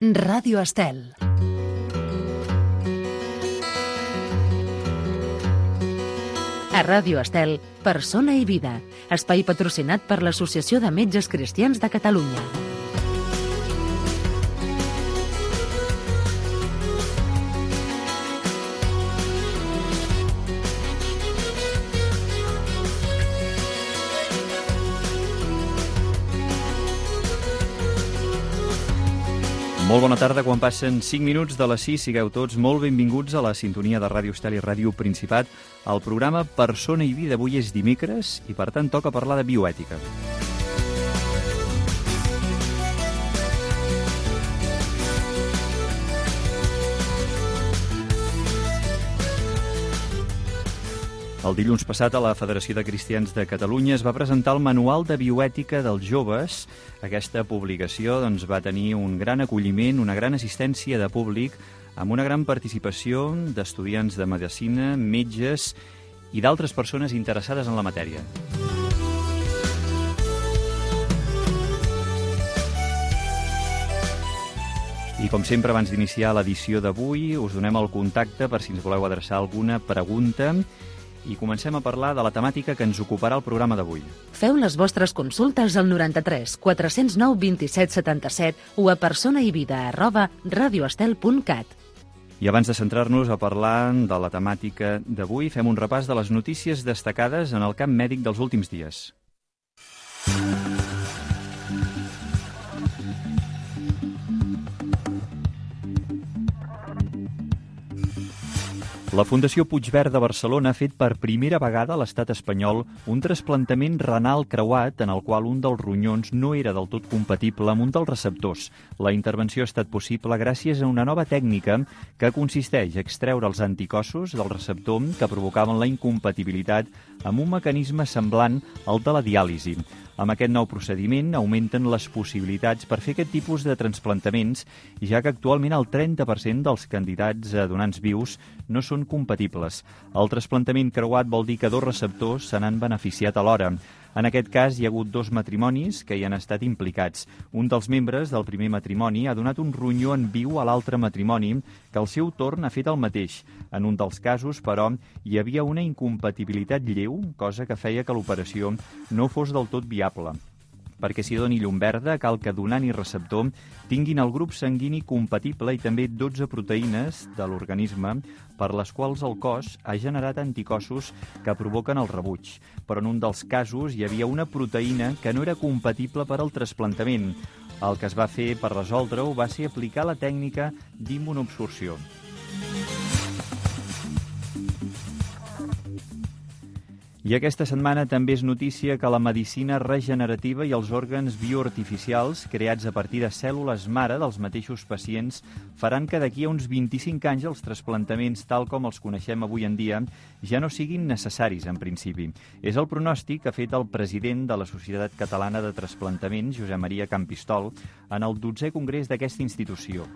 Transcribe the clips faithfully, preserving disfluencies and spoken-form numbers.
Ràdio Estel. A Ràdio Estel, Persona i Vida, espai patrocinat per l'Associació de Metges Cristians de Catalunya. Molt bona tarda, quan passen cinc minuts de les sis, sigueu tots molt benvinguts a la sintonia de Ràdio Estel i Ràdio Principat. El programa Persona i Vida avui és dimecres i, per tant, toca parlar de bioètica. El dilluns passat a la Federació de Cristians de Catalunya es va presentar el Manual de Bioètica dels Joves. Aquesta publicació doncs, va tenir un gran acolliment, una gran assistència de públic, amb una gran participació d'estudiants de medicina, metges i d'altres persones interessades en la matèria. I com sempre, abans d'iniciar l'edició d'avui, us donem el contacte per si ens voleu adreçar alguna pregunta. I comencem a parlar de la temàtica que ens ocuparà el programa d'avui. Feu les vostres consultes al noranta-tres quatre cents nou vint-i-set setanta-set o a personaivida arroba radioestel punt cat. I abans de centrar-nos a parlar de la temàtica d'avui, fem un repàs de les notícies destacades en el camp mèdic dels últims dies. La Fundació Puigverd de Barcelona ha fet per primera vegada a l'estat espanyol un trasplantament renal creuat en el qual un dels ronyons no era del tot compatible amb un dels receptors. La intervenció ha estat possible gràcies a una nova tècnica que consisteix a extreure els anticossos del receptor que provocaven la incompatibilitat amb un mecanisme semblant al de la diàlisi. Amb aquest nou procediment augmenten les possibilitats per fer aquest tipus de transplantaments, ja que actualment el trenta per cent dels candidats a donants vius no són compatibles. El trasplantament creuat vol dir que dos receptors se n'han beneficiat alhora. En aquest cas, hi ha hagut dos matrimonis que hi han estat implicats. Un dels membres del primer matrimoni ha donat un ronyó en viu a l'altre matrimoni, que al seu torn ha fet el mateix. En un dels casos, però, hi havia una incompatibilitat lleu, cosa que feia que l'operació no fos del tot viable. Perquè s'hi doni llum verda, cal que donant i receptor tinguin el grup sanguini compatible i també dotze proteïnes de l'organisme per les quals el cos ha generat anticossos que provoquen el rebuig. Però en un dels casos hi havia una proteïna que no era compatible per al trasplantament. El que es va fer per resoldre-ho va ser aplicar la tècnica d'immunoabsorció. I aquesta setmana també és notícia que la medicina regenerativa i els òrgans bioartificials creats a partir de cèl·lules mare dels mateixos pacients faran que d'aquí a uns vint-i-cinc anys els trasplantaments, tal com els coneixem avui en dia, ja no siguin necessaris en principi. És el pronòstic que ha fet el president de la Societat Catalana de Trasplantament, Josep Maria Campistol, en el dotzè congrés d'aquesta institució.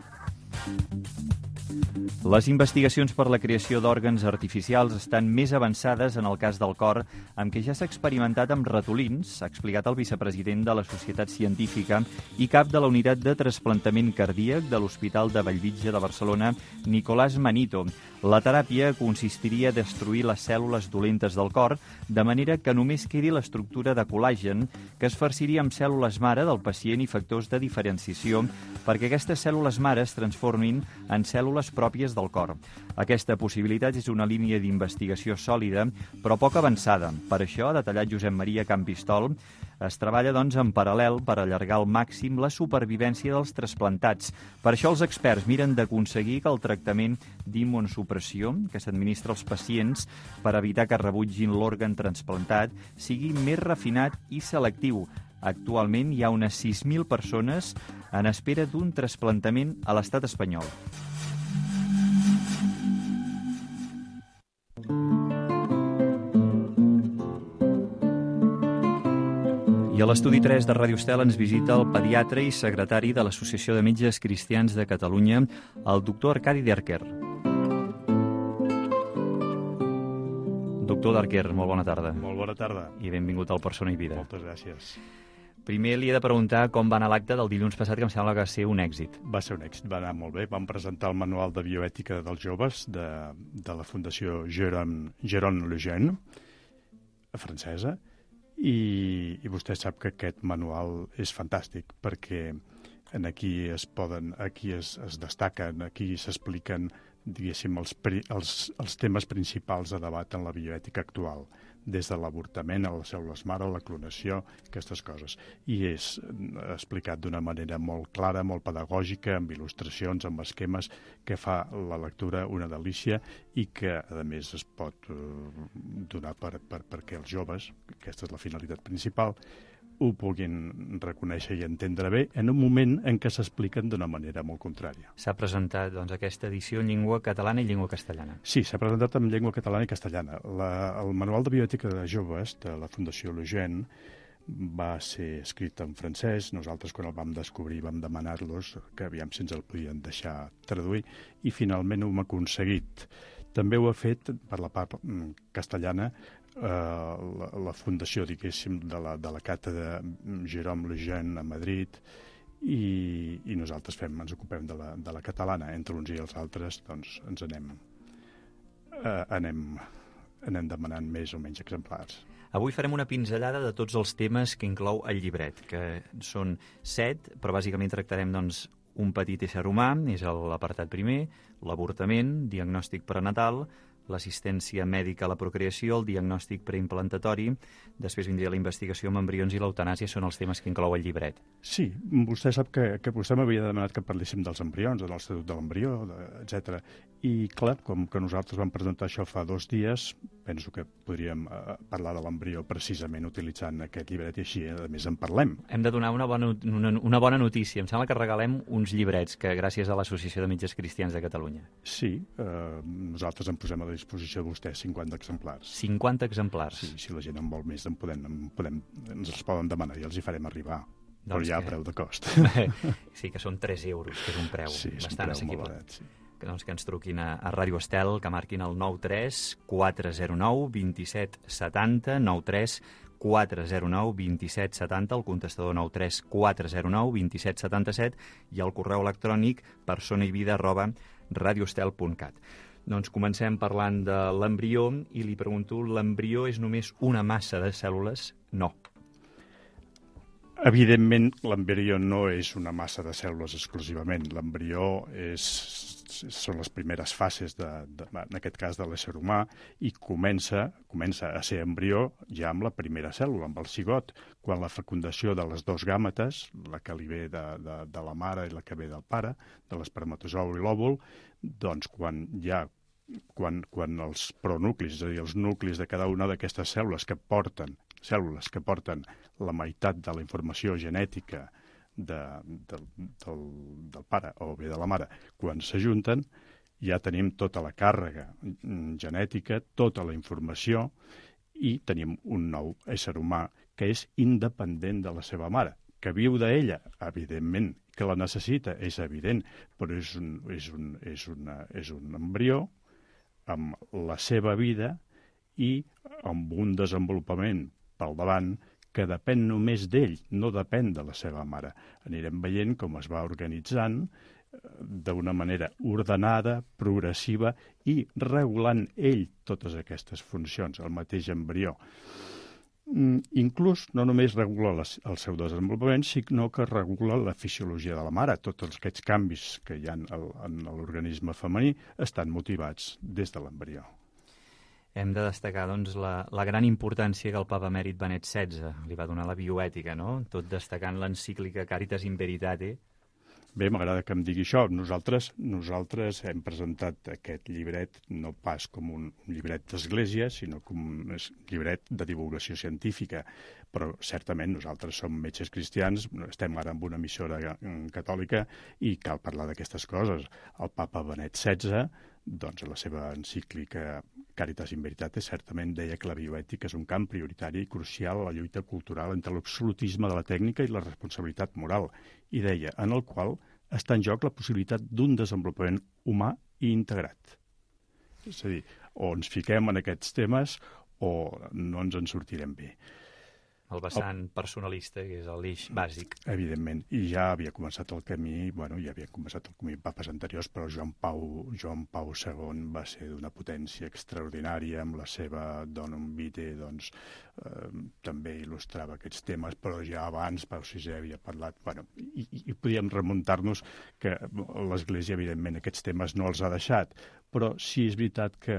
Les investigacions per la creació d'òrgans artificials estan més avançades en el cas del cor, amb què ja s'ha experimentat amb ratolins, ha explicat el vicepresident de la Societat Científica i cap de la unitat de trasplantament cardíac de l'Hospital de Bellvitge de Barcelona, Nicolás Manito. La teràpia consistiria a destruir les cèl·lules dolentes del cor, de manera que només quedi l'estructura de col·làgen, que es farciria amb cèl·lules mare del pacient i factors de diferenciació, perquè aquestes cèl·lules mare es transformin en cèl·lules pròpies del cor. Aquesta possibilitat és una línia d'investigació sòlida, però poc avançada. Per això, ha detallat Josep Maria Campistol, es treballa doncs en paral·lel per allargar al màxim la supervivència dels trasplantats. Per això els experts miren d'aconseguir que el tractament d'immunosupressió que s'administra als pacients per evitar que rebutgin l'òrgan transplantat sigui més refinat i selectiu. Actualment hi ha unes sis mil persones en espera d'un trasplantament a l'estat espanyol. I a l'estudi tres de Ràdio Estel ens visita el pediatre i secretari de l'Associació de Metges Cristians de Catalunya, el doctor Arcadi Derquer. Doctor Derquer, molt bona tarda. Molt bona tarda. I benvingut al Persona i Vida. Moltes gràcies. Primer li he de preguntar com va anar l'acte del dilluns passat, que em sembla que va ser un èxit. Va ser un èxit, va anar molt bé. Vam presentar el manual de bioètica dels joves de, de la Fundació Jérôme, Jérôme Lejeune, francesa, i, i vostè sap que aquest manual és fantàstic perquè en aquí es poden, aquí es, es destaquen, aquí s'expliquen, diguéssim, els, els, els temes principals de debat en la bioètica actual, des de l'avortament a les cèl·lules mare, la clonació, aquestes coses. I és explicat d'una manera molt clara, molt pedagògica, amb il·lustracions, amb esquemes, que fa la lectura una delícia i que, a més, es pot eh, donar per, per, perquè els joves, aquesta és la finalitat principal, ho puguin reconèixer i entendre bé en un moment en què s'expliquen d'una manera molt contrària. S'ha presentat doncs, aquesta edició en llengua catalana i llengua castellana. Sí, s'ha presentat en llengua catalana i castellana. La, el Manual de Bioètica de Joves de la Fundació Lejeune va ser escrit en francès. Nosaltres, quan el vam descobrir, vam demanar-los que aviam si ens el podien deixar traduir i finalment ho hem aconseguit. També ho ha fet, per la part castellana, eh, la, la fundació, diguéssim, de la, de la càtedra Jérôme Lejeune a Madrid, i, i nosaltres fem, ens ocupem de la, de la catalana. Entre uns i els altres, doncs, ens anem, eh, anem, anem demanant més o menys exemplars. Avui farem una pinzellada de tots els temes que inclou el llibret, que són set, però bàsicament tractarem, doncs, un petit ésser humà, és l'apartat primer, l'avortament, diagnòstic prenatal, l'assistència mèdica a la procreació, el diagnòstic preimplantatori, després vindria la investigació amb embrions i l'eutanàsia, són els temes que inclou el llibret. Sí, vostè sap que, que vostè m'havia demanat que parléssim dels embrions, de l'Estatut de l'Embrió, etcètera. I, clar, com que nosaltres vam presentar això fa dos dies, penso que podríem eh, parlar de l'embrió precisament utilitzant aquest llibret i així, a més, en parlem. Hem de donar una bona, una, una bona notícia. Em sembla que regalem uns llibrets que gràcies a l'Associació de Metges Cristians de Catalunya. Sí, eh, nosaltres en posem a la disposició de vostè cinquanta exemplars. cinquanta exemplars. Sí, si la gent en vol més, en podem, en podem, ens els poden demanar i els hi farem arribar. Doncs però ja que... a preu de cost. Sí, que són tres euros, que és un preu sí, és bastant un preu assequible. molt barat, sí. Que, doncs, que ens truquin a, a Ràdio Estel, que marquin el nou tres quatre zero nou dos set set zero, nou tres quatre zero nou dos set set zero, el contestador nou tres quatre zero nou dos set set set i el correu electrònic personaivida arroba radioestel punt cat. Doncs comencem parlant de l'embrió i li pregunto, l'embrió és només una massa de cèl·lules? No. Evidentment, l'embrió no és una massa de cèl·lules exclusivament. L'embrió és, són les primeres fases, de, de, en aquest cas, de l'ésser humà, i comença, comença a ser embrió ja amb la primera cèl·lula, amb el cigot, quan la fecundació de les dos gàmetes, la que li ve de, de, de la mare i la que ve del pare, de l'espermatozou i l'òvul, doncs quan ja quan, quan els pronuclis, és a dir, els nuclis de cada una d'aquestes cèl·lules que porten cèl·lules que porten la meitat de la informació genètica de, de, del, del pare o bé de la mare, quan s'ajunten, ja tenim tota la càrrega genètica, tota la informació, i tenim un nou ésser humà que és independent de la seva mare, que viu d'ella, evidentment, que la necessita, és evident, però és un, és un, és una, és un embrió amb la seva vida i amb un desenvolupament pel davant que depèn només d'ell, no depèn de la seva mare. Anirem veient com es va organitzant d'una manera ordenada, progressiva i regulant ell totes aquestes funcions, el mateix embrió. Inclús no només regula les, el seu desenvolupament, sinó que regula la fisiologia de la mare. Tots aquests canvis que hi ha en l'organisme femení estan motivats des de l'embrió. Hem de destacar, doncs, la, la gran importància que el papa emèrit Benet setze li va donar a la bioètica, no? Tot destacant l'encíclica Caritas in Veritate. Bé, m'agrada que em digui això. Nosaltres, nosaltres hem presentat aquest llibret no pas com un llibret d'església, sinó com un llibret de divulgació científica. Però certament nosaltres som metges cristians, estem ara en una emissora catòlica i cal parlar d'aquestes coses. El papa Benet setze, doncs, a la seva encíclica Caritas in Veritate, certament deia que la bioètica és un camp prioritari i crucial a la lluita cultural entre l'absolutisme de la tècnica i la responsabilitat moral, i deia, en el qual està en joc la possibilitat d'un desenvolupament humà i integrat. És a dir, o ens fiquem en aquests temes o no ens en sortirem bé. el vessant personalista, que és l'eix bàsic. Evidentment, i ja havia començat el camí, bueno, ja havia començat el camí papes anteriors, però Joan Pau, Joan Pau segon va ser d'una potència extraordinària, amb la seva Donum Vitae, doncs, eh, també il·lustrava aquests temes, però ja abans Pau sisè havia parlat, bueno, i, i, i podíem remuntar-nos que l'Església, evidentment, aquests temes no els ha deixat, però sí és veritat que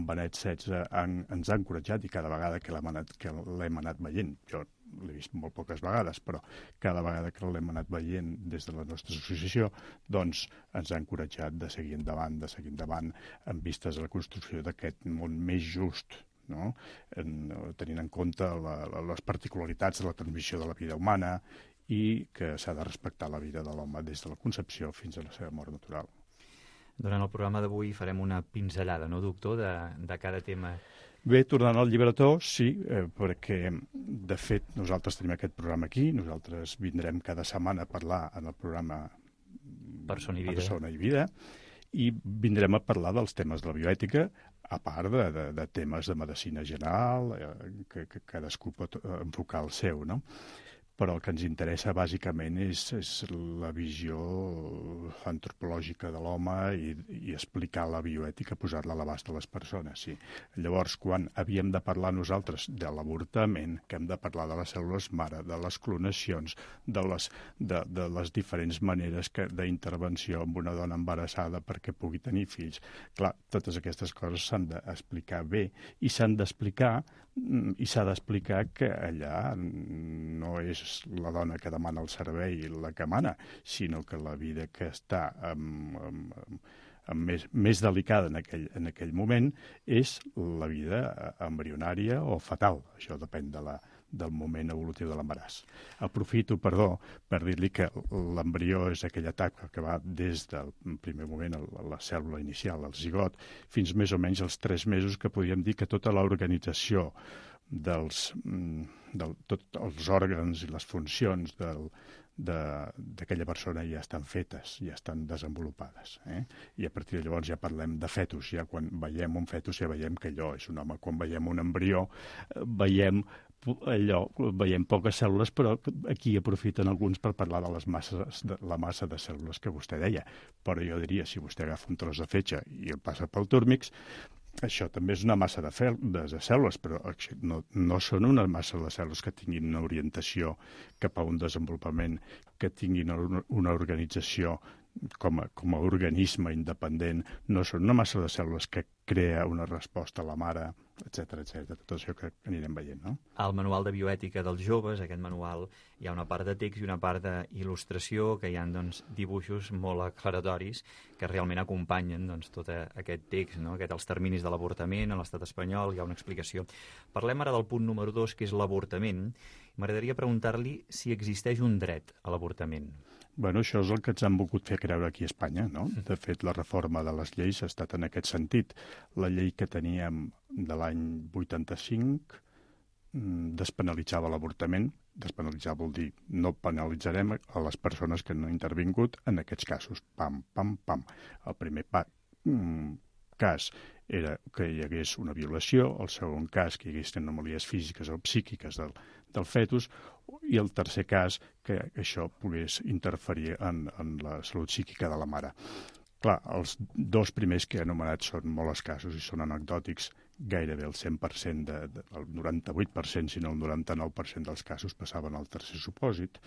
Benet setze han, ens ha encoratjat i cada vegada que l'hem anat, que l'hem anat veient, jo l'he vist molt poques vegades, però cada vegada que l'hem anat veient des de la nostra associació, doncs ens ha encoratjat de seguir endavant, de seguir endavant en vistes a la construcció d'aquest món més just, no? En, tenint en compte la, la, les particularitats de la transmissió de la vida humana i que s'ha de respectar la vida de l'home des de la concepció fins a la seva mort natural. Durant el programa d'avui farem una pinzellada, no, doctor, de, de cada tema. Bé, tornant al llibretó, sí, eh, perquè, de fet, nosaltres tenim aquest programa aquí, nosaltres vindrem cada setmana a parlar en el programa Persona i vida, Persona i vida, i vindrem a parlar dels temes de la bioètica, a part de, de, de temes de medicina general, eh, que, que cadascú pot enfocar el seu, no? Però el que ens interessa bàsicament és, és la visió antropològica de l'home i, i explicar la bioètica, posar-la a l'abast de les persones. Sí. Llavors, quan havíem de parlar nosaltres de l'avortament, que hem de parlar de les cèl·lules mare, de les clonacions, de les, de, de les diferents maneres d'intervenció amb una dona embarassada perquè pugui tenir fills, clar, totes aquestes coses s'han d'explicar bé i s'han d'explicar i s'ha d'explicar que allà no és la dona que demana el servei la que mana, sinó que la vida que està amb, amb, amb més, més delicada en aquell, en aquell moment és la vida embrionària o fatal. Això depèn de la, del moment evolutiu de l'embaràs. Aprofito, perdó, per dir-li que l'embrió és aquella etapa que va des del primer moment a la cèl·lula inicial, al zigot, fins més o menys als tres mesos, que podríem dir que tota l'organització dels del, tot els òrgans i les funcions del, d'aquella persona ja estan fetes, ja estan desenvolupades. Eh? I a partir de llavors ja parlem de fetus, ja quan veiem un fetus ja veiem que allò és un home. Quan veiem un embrió veiem allò, veiem poques cèl·lules, però aquí aprofiten alguns per parlar de les masses, de la massa de cèl·lules que vostè deia. Però jo diria, si vostè agafa un tros de fetge i el passa pel túrmix, això també és una massa de, fel, de, de cèl·lules, però no, no són una massa de cèl·lules que tinguin una orientació cap a un desenvolupament, que tinguin una, una organització com a, com a organisme independent, no són una massa de cèl·lules que crea una resposta a la mare, etcètera, etcètera, tot això que anirem veient, no? Al manual de bioètica dels joves, aquest manual, hi ha una part de text i una part d'il·lustració, que hi ha doncs, dibuixos molt aclaratoris que realment acompanyen doncs, tot aquest text, no? Aquest, els terminis de l'avortament a l'estat espanyol, hi ha una explicació. Parlem ara del punt número dos, que és l'avortament. M'agradaria preguntar-li si existeix un dret a l'avortament. Bueno, això és el que ens han volgut fer creure aquí a Espanya, no? De fet, la reforma de les lleis ha estat en aquest sentit. La llei que teníem de l'any vuitanta-cinc despenalitzava l'avortament. Despenalitzar vol dir no penalitzarem a les persones que no han intervingut en aquests casos. Pam, pam, pam. El primer pa, mm, cas era que hi hagués una violació, el segon cas que hi hagués anomalies físiques o psíquiques del, del fetus, i el tercer cas que això pogués interferir en, en la salut psíquica de la mare. Clar, els dos primers que he anomenat són molt escassos i són anecdòtics. Gairebé el cent per cent, de, de, el noranta-vuit per cent, si no el noranta-nou per cent dels casos passaven al tercer supòsit.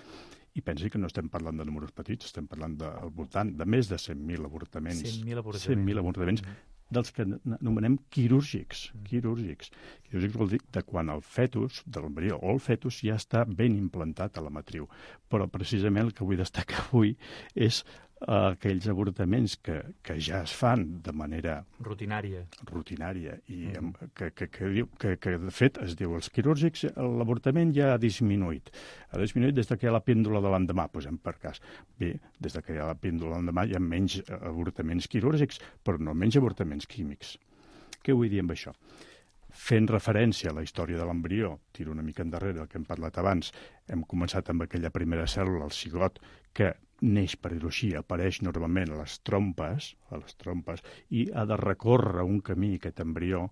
I pensi que no estem parlant de números petits, estem parlant de, al voltant de més de cent mil avortaments. cent mil avortaments. cent mil avortaments. Mm. Dels que anomenem quirúrgics. Mm. Quirúrgics. Quirúrgics vol dir de quan el fetus, de l'embrió o el fetus, ja està ben implantat a la matriu. Però precisament el que vull destacar avui és uh, aquells avortaments que, que ja es fan de manera rutinària, rutinària i mm. amb, que, que, que, diu, que, que de fet es diu els quirúrgics, l'avortament ja ha disminuït. Ha disminuït des que hi ha la píndola de l'endemà, posem per cas. Bé, des que hi ha la píndola de l'endemà hi ha menys avortaments quirúrgics, però no menys avortaments químics. Què vull dir amb això? Fent referència a la història de l'embrió, tiro una mica endarrere el que hem parlat abans, hem començat amb aquella primera cèl·lula, el cigot, que neix, per dir-ho així, apareix normalment a les trompes, a les trompes, i ha de recórrer un camí, aquest embrió,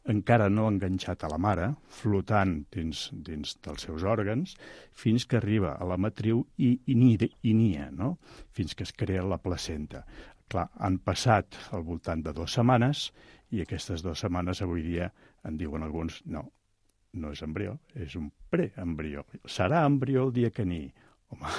encara no enganxat a la mare, flotant dins, dins dels seus òrgans, fins que arriba a la matriu i, i, i nia, no? Fins que es crea la placenta. Clar, han passat al voltant de dues setmanes i aquestes dues setmanes avui dia en diuen alguns, no, no és embrió, és un preembrió. Serà embrió el dia que ni. Home,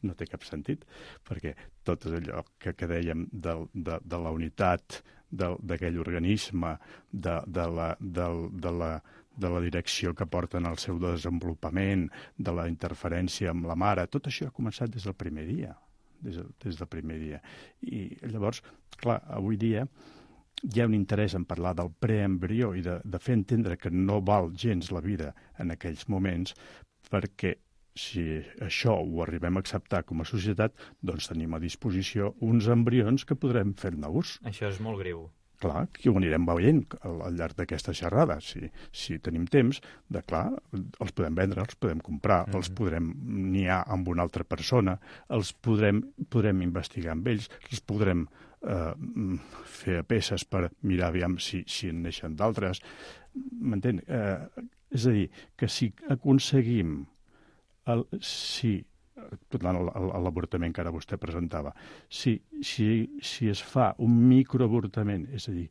no té cap sentit, perquè tot allò que, que dèiem de, de, de la unitat d'aquell organisme, de, de, la, de, de, la, de la direcció que porten al seu desenvolupament, de la interferència amb la mare, tot això ha començat des del primer dia, des, des del primer dia. I llavors, clar, avui dia hi ha un interès en parlar del preembrió i de, de fer entendre que no val gens la vida en aquells moments, perquè si això ho arribem a acceptar com a societat, doncs tenim a disposició uns embrions que podrem fer-ne ús. Això és molt greu. Clar, que ho anirem veient al, al llarg d'aquesta xerrada. Si, si tenim temps, de clar, els podem vendre, els podem comprar, mm-hmm. els podrem niar amb una altra persona, els podrem, podrem investigar amb ells, els podrem eh, fer a peces per mirar aviam si, si en neixen d'altres. M'entén? Eh, és a dir, que si aconseguim El, si, tornant a l'avortament que ara vostè presentava, si, si, si es fa un microavortament, és a dir,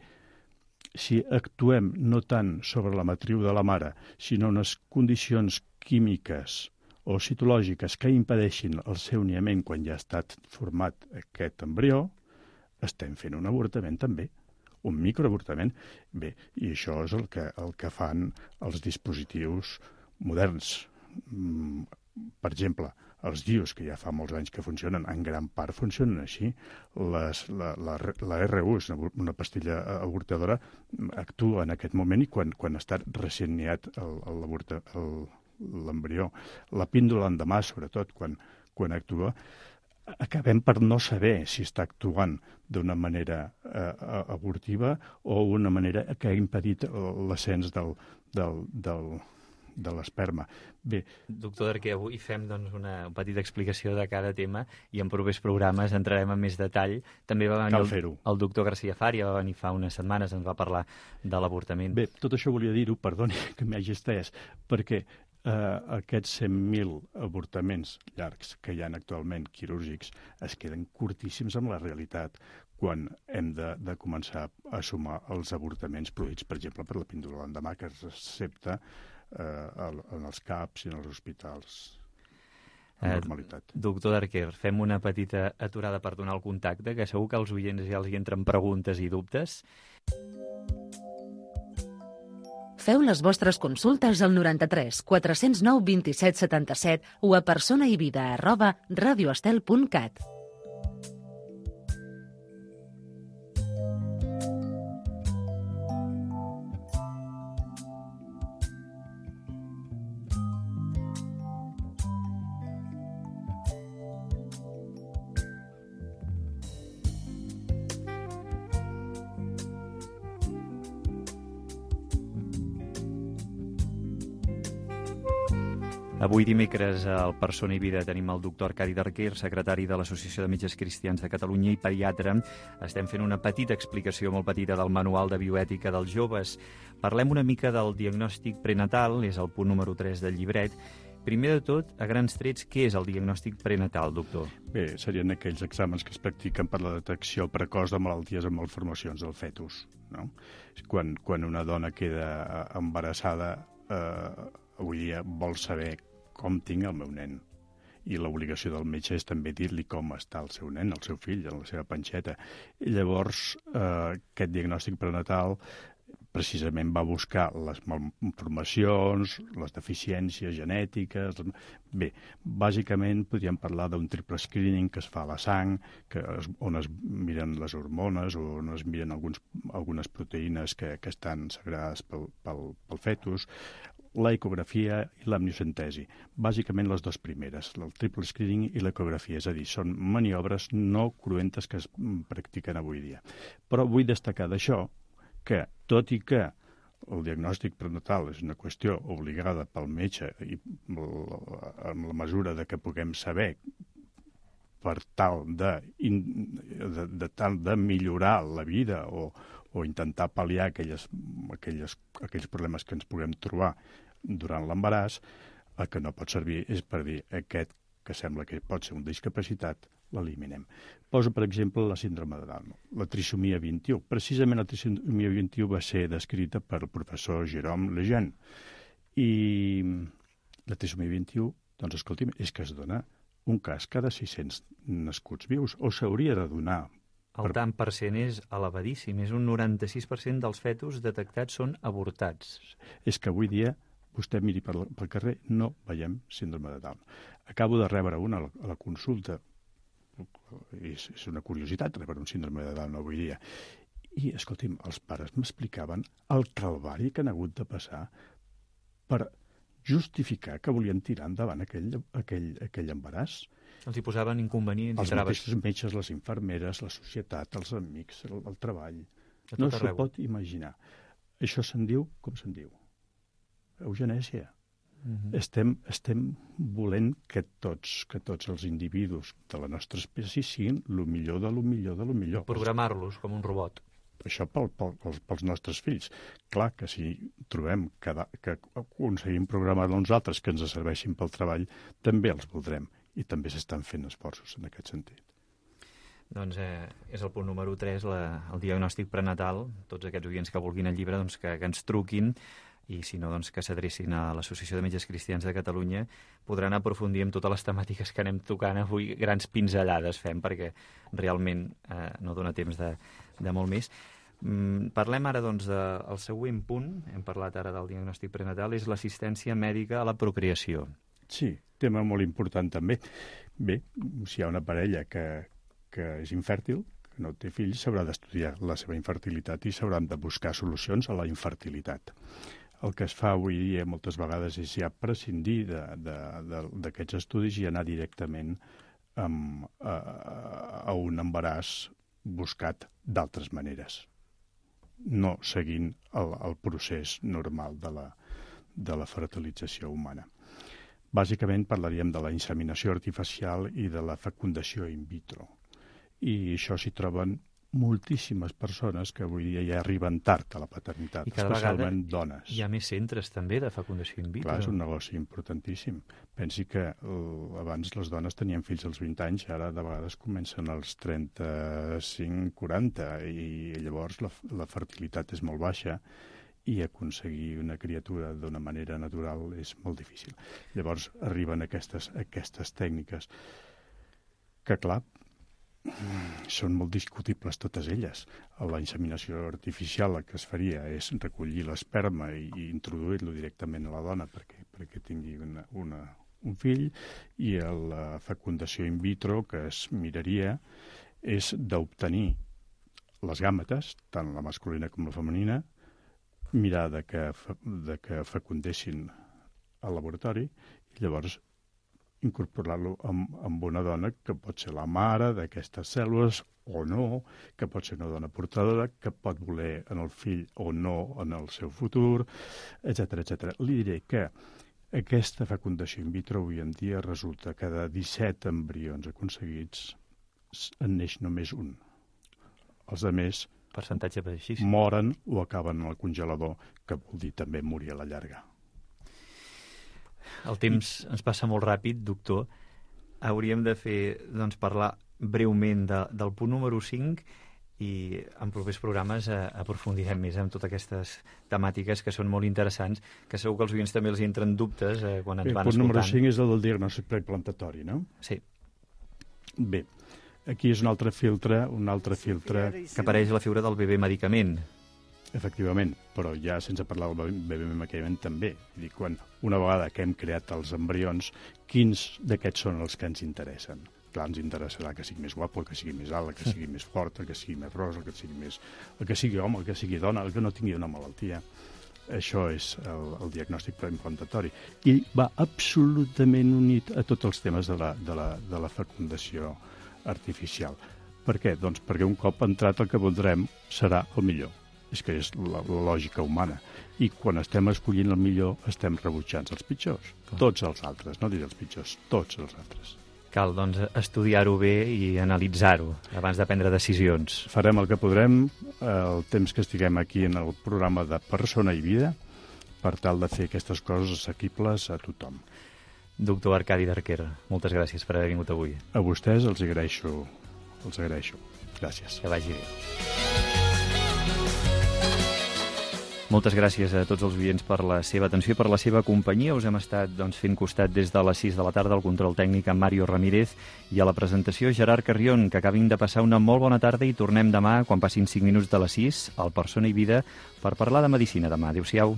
si actuem no tant sobre la matriu de la mare, sinó unes condicions químiques o citològiques que impedeixin el seu niament quan ja ha estat format aquest embrió, estem fent un avortament també, un microavortament. Bé, i això és el que, el que fan els dispositius moderns. Per exemple, els D I Us, que ja fa molts anys que funcionen, en gran part funcionen així. Les, la, la, la R U, és una, una pastilla avortadora, actua en aquest moment i quan, quan està recient niat l'embrió. La píndola endemà, sobretot, quan, quan actua, acabem per no saber si està actuant d'una manera eh, abortiva o una manera que ha impedit l'ascens del, del, del de l'esperma. Bé. Doctor Darquer, avui fem doncs, una petita explicació de cada tema i en propers programes entrarem en més detall. També va venir el, el doctor García Faria, va venir fa unes setmanes, ens va parlar de l'avortament. Bé, tot això volia dir-ho, perdoni que m'hagi estès, perquè eh, aquests cent mil avortaments llargs que hi ha actualment quirúrgics es queden curtíssims amb la realitat quan hem de, de començar a sumar els avortaments produïts, per exemple, per la píndola l'endemà, que es recepta Eh, en els C A Ps i en els hospitals amb normalitat. Eh, doctor Darquer, fem una petita aturada per donar el contacte, que segur que als oients ja els hi entren preguntes i dubtes. Feu les vostres consultes al noranta-tres quatre-cents nou vint-i-set setanta-set o a personaivida arroba radioestel punt cat. Avui dimecres al Persona i Vida tenim el doctor Arcadi Darquer, secretari de l'Associació de Metges Cristians de Catalunya i pediatre. Estem fent una petita explicació molt petita del Manual de Bioètica dels Joves. Parlem una mica del diagnòstic prenatal, és el punt número tres del llibret. Primer de tot, a grans trets, què és el diagnòstic prenatal, doctor? Bé, serien aquells exàmens que es practiquen per la detecció precoç de malalties amb malformacions del fetus, no? Quan, quan una dona queda embarassada, eh, avui dia vol saber com tinc el meu nen. I l'obligació del metge és també dir-li com està el seu nen, el seu fill, en la seva panxeta. I llavors, eh, aquest diagnòstic prenatal precisament va buscar les malformacions, les deficiències genètiques. Bé, bàsicament podríem parlar d'un triple screening que es fa a la sang, que es, on es miren les hormones o on es miren alguns, algunes proteïnes que, que estan sagrades pel, pel, pel fetus, la ecografia i l'amniocentesi. Bàsicament les dues primeres, el triple screening i l'ecografia, és a dir, són maniobres no cruentes que es practiquen avui dia. Però vull destacar d'això que, tot i que el diagnòstic prenatal és una qüestió obligada pel metge i en la mesura de que puguem saber per tal de, de, de, tal de millorar la vida o, o intentar pal·liar aquelles, aquelles, aquells problemes que ens puguem trobar durant l'embaràs, el que no pot servir és per dir aquest que sembla que pot ser una discapacitat, l'eliminem. Poso, per exemple, la síndrome de Down, la trisomia vint-i-u. Precisament la trisomia vint-i-u va ser descrita per el professor Jérôme Lejeune. I la trisomia vint-i-u, doncs, escolti'm, és que es dona un cas cada sis-cents nascuts vius, o s'hauria de donar. El tant per cent és elevadíssim, és un noranta-sis per cent dels fetus detectats són avortats. És que avui dia, vostè miri pel, pel carrer, no veiem síndrome de Down. Acabo de rebre una a la, a la consulta, és, és una curiositat rebre un síndrome de Down avui dia. I, escolti'm, els pares m'explicaven el calvari que han hagut de passar per justificar que volien tirar endavant aquell, aquell, aquell embaràs. Els hi posaven inconvenients els i traves. Els mateixos metges, les infermeres, la societat, els amics, el, el treball. No s'ho pot imaginar. Això se'n diu, com se'n diu? Eugenèsia. Uh-huh. Estem, estem volent que tots, que tots els individus de la nostra espècie siguin el millor de lo millor de lo millor. Programar-los com un robot. Això pel, pel, pels, pels nostres fills. Clar que si trobem que, que aconseguim programar uns altres que ens serveixin pel treball, també els voldrem. I també s'estan fent esforços en aquest sentit. Doncs eh, és el punt número tres, la, el diagnòstic prenatal. Tots aquests oients que vulguin el llibre, doncs, que, que ens truquin, i si no, doncs, que s'adrecin a l'Associació de Metges Cristians de Catalunya. Podran aprofundir en totes les temàtiques que anem tocant avui. Grans pinzellades fem, perquè realment eh, no dona temps de, de molt més. Mm, parlem ara, doncs, del següent punt. Hem parlat ara del diagnòstic prenatal, és l'assistència mèdica a la procreació. Sí, tema molt important també. Bé, si hi ha una parella que, que és infèrtil, que no té fills, s'haurà d'estudiar la seva infertilitat i s'hauran de buscar solucions a la infertilitat. El que es fa avui dia moltes vegades és ja prescindir d'aquests estudis i anar directament amb, a, a un embaràs buscat d'altres maneres, no seguint el, el procés normal de la, de la fertilització humana. Bàsicament parlaríem de la inseminació artificial i de la fecundació in vitro. I això s'hi troben moltíssimes persones que avui dia ja arriben tard a la paternitat, especialment dones. Hi ha més centres també de fecundació in vitro. Clar, és un negoci importantíssim. Pensi que uh, abans les dones tenien fills als vint anys, ara de vegades comencen als trenta-cinc quaranta, i llavors la, la fertilitat és molt baixa i aconseguir una criatura d'una manera natural és molt difícil. Llavors arriben aquestes, aquestes tècniques que, clar, són molt discutibles totes elles. La inseminació artificial el que es faria és recollir l'esperma i, i introduir-lo directament a la dona perquè, perquè tingui una, una, un fill, i la fecundació in vitro que es miraria és d'obtenir les gàmetes, tant la masculina com la femenina, mirar de que, de que fecundessin al laboratori i llavors incorporar-lo amb, amb una dona que pot ser la mare d'aquestes cèl·lules o no, que pot ser una dona portadora, que pot voler en el fill o no en el seu futur, etcètera, etcètera. Li diré que aquesta fecundació in vitro avui en dia resulta que de disset embrions aconseguits en neix només un. Els altres percentatge baixíssim. Moren o acaben en el congelador, que vol dir també morir a la llarga. El temps ens passa molt ràpid, doctor. Hauríem de fer, doncs, parlar breument de, del punt número cinc, i en propers programes eh, aprofundirem més en totes aquestes temàtiques que són molt interessants, que segur que els oients també els entren dubtes eh, quan ens Bé, van escoltant. El punt número cinc és el del diagnòstic preimplantatori, no? Sí. Bé, aquí és un altre filtre, un altre filtre... Que apareix la figura del bebè medicament. Efectivament, però ja sense parlar del bebè medicament també. Dir, quan una vegada que hem creat els embrions, quins d'aquests són els que ens interessen? Clar, ens interessarà que sigui més guapo, el que sigui més alt, el que sigui més fort, el que sigui més ros, el que sigui més... el que sigui home, el que sigui dona, el que no tingui una malaltia. Això és el, el diagnòstic preimplantatori. I va absolutament unit a tots els temes de la, de la, de la fecundació artificial. Per què? Doncs perquè un cop entrat el que voldrem serà el millor. És que és la, la lògica humana. I quan estem escollint el millor, estem rebutjant els pitjors. Clar. Tots els altres, no diré els pitjors, tots els altres. Cal, doncs, estudiar-ho bé i analitzar-ho abans de prendre decisions. Farem el que podrem el temps que estiguem aquí en el programa de Persona i Vida per tal de fer aquestes coses assequibles a tothom. Doctor Arcadi Darquer, moltes gràcies per haver vingut avui. A vostès els agraeixo, els agraeixo. Gràcies. Que vagi bé. Moltes gràcies a tots els oients per la seva atenció i per la seva companyia. Us hem estat doncs, fent costat des de les sis de la tarda al control tècnic amb Mario Ramírez i a la presentació Gerard Carrion. Que acabin de passar una molt bona tarda i tornem demà, quan passin cinc minuts de les sis, al Persona i Vida, per parlar de medicina demà. Adéu-siau.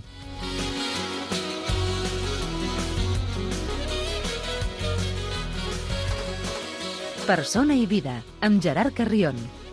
Persona i Vida, amb Gerard Carrion.